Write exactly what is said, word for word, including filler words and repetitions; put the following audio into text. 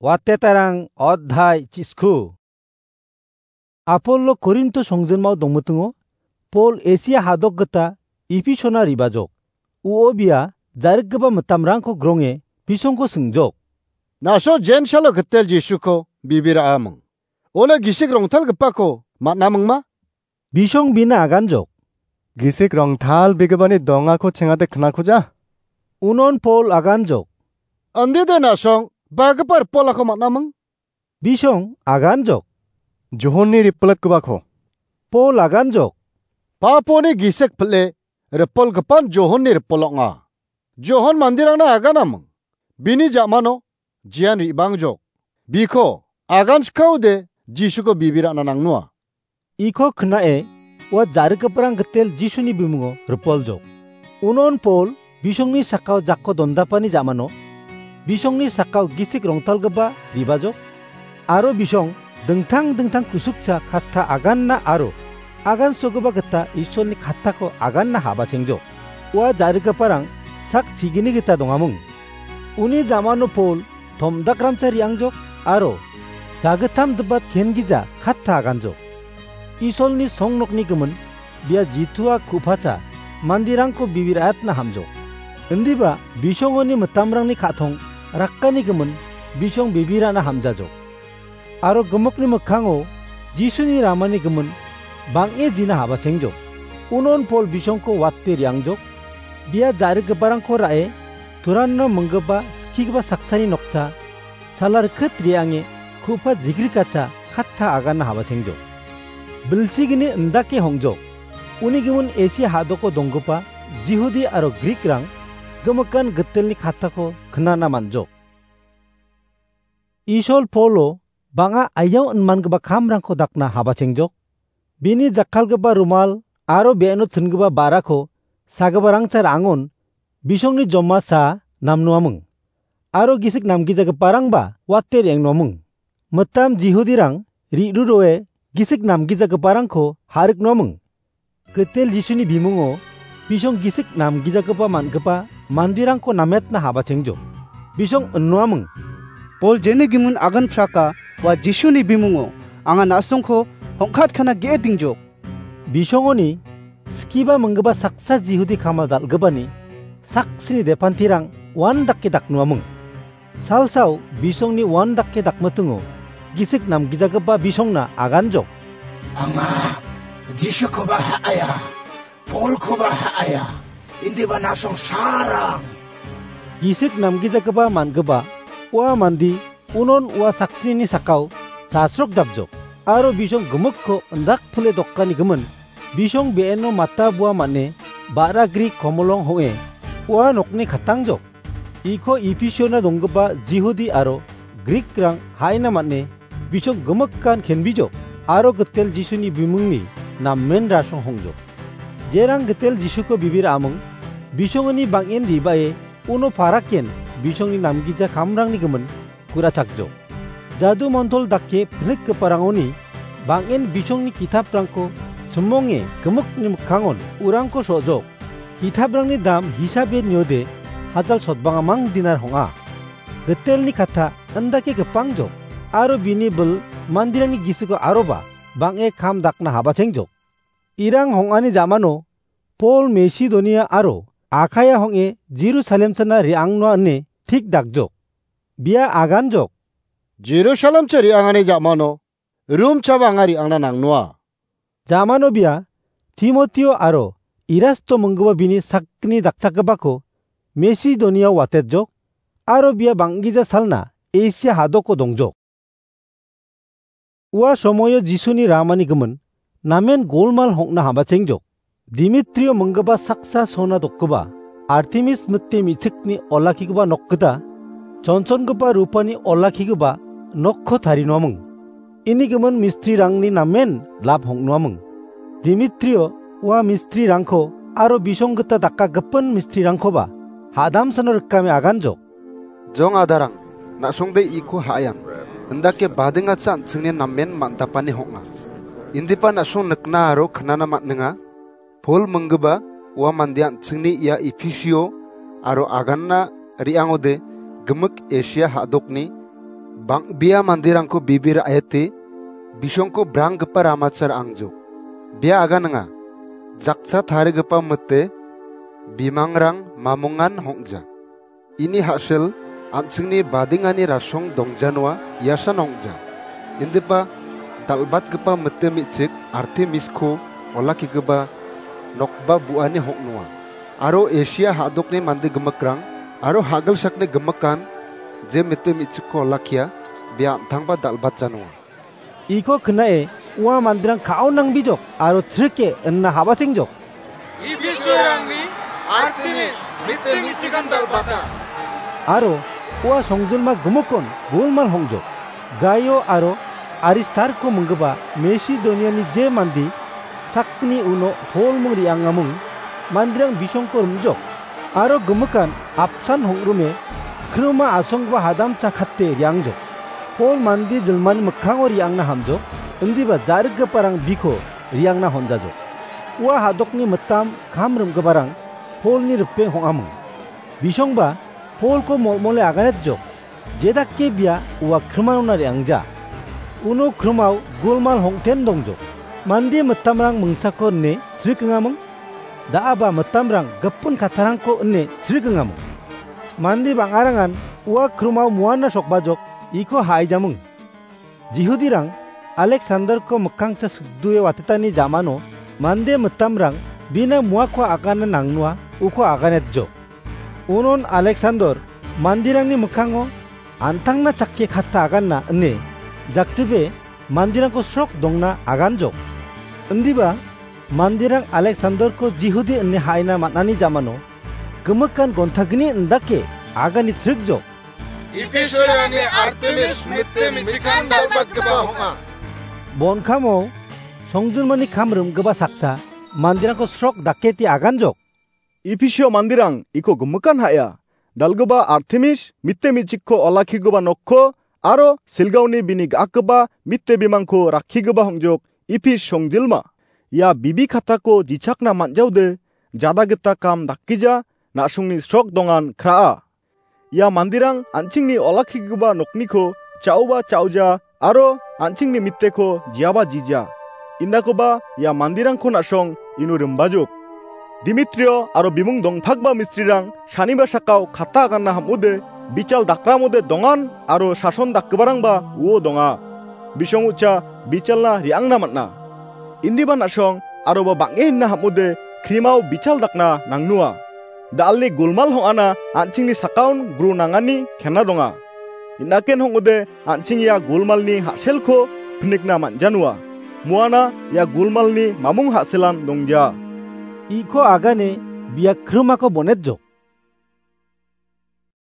Watetarang odhai chisku. Apollo Korinto songjinmao dongmitingo, Pol Asia hadok gita Ephisona ribajok. Uo bia jarikgipa mitamrangko gronge bisongko singjok. Naso Jensalo gitel Jisuko bibira aming. Ole gisik rongtalgipako man·amingma? Bisong bina aganjok. Gisik rongtalbegipani dongako chengate knakuja. Unon Pol aganjok. Andide nasong bagipa ripolako man·aming? Bisong aganjok. Johonni ripolatgipako. Pol aganjok. Paponi gisik pile ripolgipan Johonni ripol ong·a. Johon manderangna aganaming. Bini jamano jian ribangjok. Biko aganchikaode Jisuko bibirana nangnoa. Iko knae, ua jarikgiparang gitel Jisuni bimungo ripoljok. Unon Pol bisongni sakao jakko dondapani jamano, bisongni sakao gisik rongtalgipa ribajok, aro bisong dingtang dingtang kusukcha katta aganna aro agansogipa gita Isolni kattako aganna habachengjok. Ua jarikgiparang sak chigini gita dongaming. Uni jamano Pol tomdakramcha re·angjok aro jagittam dibat ken gija katta aganjok. Isolni songnokni gimin bia jitua ku·pacha manderangko bibir·atna hamjok. Indiba bisongoni mitamrangni ka·tong rakani gimin bisong bibirana hamjajok. Aro gimikni mikkango Jisuni ramani gimin bang·e jina habachengjok. Unon Pol bisongko wate re·angjok. Bia jarikgiparangko ra·e turanno minggipa skigipa saksani nokcha salar kit re·ange ku·pa jigrikacha katta aganna habachengjok. Bilsigni indake hongjok. Uni gimin Asia hadoko donggipa Jihudi aro Grikrang gimikan gitelni kattako knana man·jok. Isol Polo bang·a aiao inmangipa kamrangko dakna habachengjok. Bini jakkalgipa rumal aro be·eno chingipa ba·rako sagiparangcha ra·angon bisongni jomasa namnoaming. Aro gisik namgijagiparangba wate re·angnoaming. Mitam Jihudirang ri·ruroe gisik namgijagiparangko ha·riknoaming. Gitel Jisuni bimungo bisong gisik namgijagipa man·gipa manderangko nametna habachengjok. Bisong innoaming. Pol jeni gimin agan praka ua Jisuni bimungo anga na·songko hongkatkana ge·e dingjok. Bisongoni skiba minggipa saksa Jihudi kamal dal·gipani saksini depantirang uandake daknoaming. Salsao bisongni uandake dakmitingo gisik namgijagipa bisongna aganjok. Anga Jisukoba ha·aia, Polkoba ha·aia, indiba na·song sarang. Gisik namgijagipa man·gipa ua mande unon ua saksinini sakao chasrok dapjok, aro bisong gimikko indak pile dokani gimin bisong be·eno mata bua man·e ba·ra gri komolong hong·e ua nokni katangjok. Iko Episiona donggipa Jihudi aro Grikrang ha·ina man·e bisong gimikan kenbijok aro gitel Jisuni bimungni namen rasong hongjok. Jerang gitel Jisuko bibir aming bisongoni bang·en ribae uno paraken bisongni namgija kamrangni gimin ku·rachakjok. Jadu montol dake pilikgiparangoni bang·en bisongni kitaprangko chimonge gimikni mikkangon urangko so·jok. Kitaprangni dam hisabe niode hajal sotbangamang dinar hong·a. Gitelni katta indake gipangjok, aro bini bil manderangni gisiko aroba bang·e kam dakna habachengjok. Irang hong·ani jamano Pol Mesidonia aro Akaia hong·e Jerusalem china re·angnoa ine tik dakjok. Bia aganjok. Jerusalem cha re·angani jamano Rom chaba anga re·angna nangnoa. Jamano bia Timotio aro Erasto minggipa bini sakgni dakchakgipako Mesidoniao watetjok, aro bia bang·gija salna Esia hadoko dongjok. Ua somoio Jisuni ramani gimin namen golmal hong·na habachengjok. Dimitrio minggipa saksa sona dokgipa Artemis mite me·chikni olakkigipa nok gita chonchongipa rupani olakkigipa nokko tarinoaming. Ini gimin mistrirangni namen lap hong·noaming. Dimitrio ua mistrirangko aro bisong gita daka gipin mistrirangkoba hadamsano rikame aganjok. Jong adarang, na·songde iko ha·ayang, indake badingacha an·chingni namen man·dapani hong·a. Indiba na·song nikna aro knana man·enga. Pol minggipa ua mande an·chingni ia Efisio aro aganna re·angode gimik Esia ha·dokni Bang·bea manderangko bibi ra·ete, bisongko branggipa ramacha ra·angjok. Bia aganinga, jakcha tarigipa mite bimangrang mamongan hong·ja. Ini ha·sel an·chingni badingani rasong dongjanoa iasan ong·ja. Indiba dal·batgipa mite me·chik Artemisko olakkigipa nokba bu·ani hong·noa. Aro Esia ha·dokni mande gimikrang aro ha·gilsakni gimikan je mite me·chikko olakkia, bia an·tangba dal·batjanoa. Iko knae ua manderang ka·o nangbijok aro chrike inna habatengjok. Ipisiorangni Artemis mite me·chikan dal·bata. Aro ua songjinma gimikon golmal hongjok. Gaio aro Aristarko minggipa Masedoniani je mande sakgni uno Pol ming re·angaming manderang bisongko rimjok. Aro gimikan apsan hong·rime krima asonggipa hadamcha kate re·angjok. Pol mande jilmani mikkango re·angna hamjok, indiba ja·rikgiparang biko re·angna honjajok. Ua ha·dokni mitam kam rim·giparang Polni ripeng hong·aming. Bisongba Polko molmole aganetjok, jedake bia ua krimarona re·angja. Uno krimao golmal hongten dongjok. Mande mitamrang mingsako ine chrikingaming, da·aba mitamrang gipin kattarangko ine chrikingaming. Mande bang·arangan ua krimao muana sokbajok iko ha·aijaming. Jihudirang Aleksandarko mikkangsa sikdue watetani jamano mande mitamrang bina muako agana nangnoa uko aganetjok. Unon Aleksandar manderangni mikkango an·tangna chakke katta aganna ine jakjibe manderangko srok dongna aganjok. Indiba manderang Aleksandarko Jihudi ine ha·aina man·ani jamano gimikan gontagni indake agani chrikjok. Ipisiorangni Artemis mite me·chikan dal·batgipa ong·a. Bonkamo songjinmani kam rim·gipa saksa manderangko srok daketi aganjok. Ipisio manderang iko gimikan ha·a. Dal·gipa Artemis mite me·chikko olakkigipa nokko aro silgaoni bini ga·akgipa mite bimangko rakkigipa hongjok Ipis songjilma. Ia bibi kattako jichakna man·jaode jada gita kam dakgija na·songni srok dongan kra·a. Ia manderang an·chingni olakkigipa nokniko cha·oba cha·oja aro an·chingni miteko jiaba jija. Indakoba ia manderangko na·song ino rimbajok. Dimitrio aro bimung dongpakba mistrirang saniba sakao katta aganna ham·ode, bichal dakramode dongan aro sason dakgiparangba uo donga. Bisong ucha bichalna re·angna man·a. Indiba na·song aroba bang·e hinna ham·ode krimao bichal dakna nangnoa. Da·alni golmal hong·ana an·chingni sakaon gru nangani kena donga. Inaken hong·ode an·ching ia golmalni ha·selko pinikna man·janoa. Muana ia golmalni mamung ha·selan dongja. Iko agane bia krimako bonetjok.